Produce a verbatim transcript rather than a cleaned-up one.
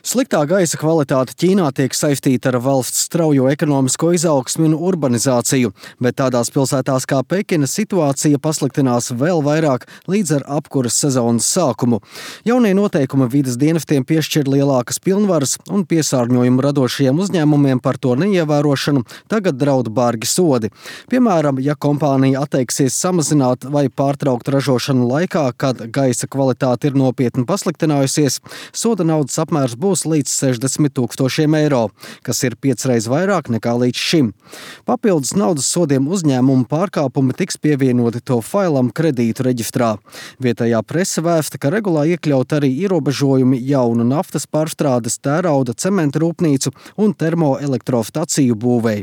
Sliktā gaisa kvalitāte Ķīnā tiek saistīta ar valsts straujo ekonomisko izaugsmi un urbanizāciju, bet tādās pilsētās kā Pekina situācija pasliktinās vēl vairāk līdz ar apkuras sezonas sākumu. Jaunie noteikumi vides dienestiem piešķir lielākas pilnvaras un piesārņojumu radošajiem uzņēmumiem par to neievērošanu tagad draud bargi sodi. Piemēram, ja kompānija atteiksies samazināt vai pārtraukt ražošanu laikā, kad gaisa kvalitāte ir nopietni pasliktinājusies, soda naudas apmērs būs līdz sešdesmit tūkstošiem eiro, kas ir piecreiz vairāk nekā līdz šim. Papildus naudas sodiem uzņēmumu pārkāpumi tiks pievienoti to failam kredītu reģistrā. Vietējā prese vēsta, ka regulā iekļaut arī ierobežojumi jaunu naftas pārstrādes, tērauda, cementa rūpnīcu un termoelektrostaciju būvei.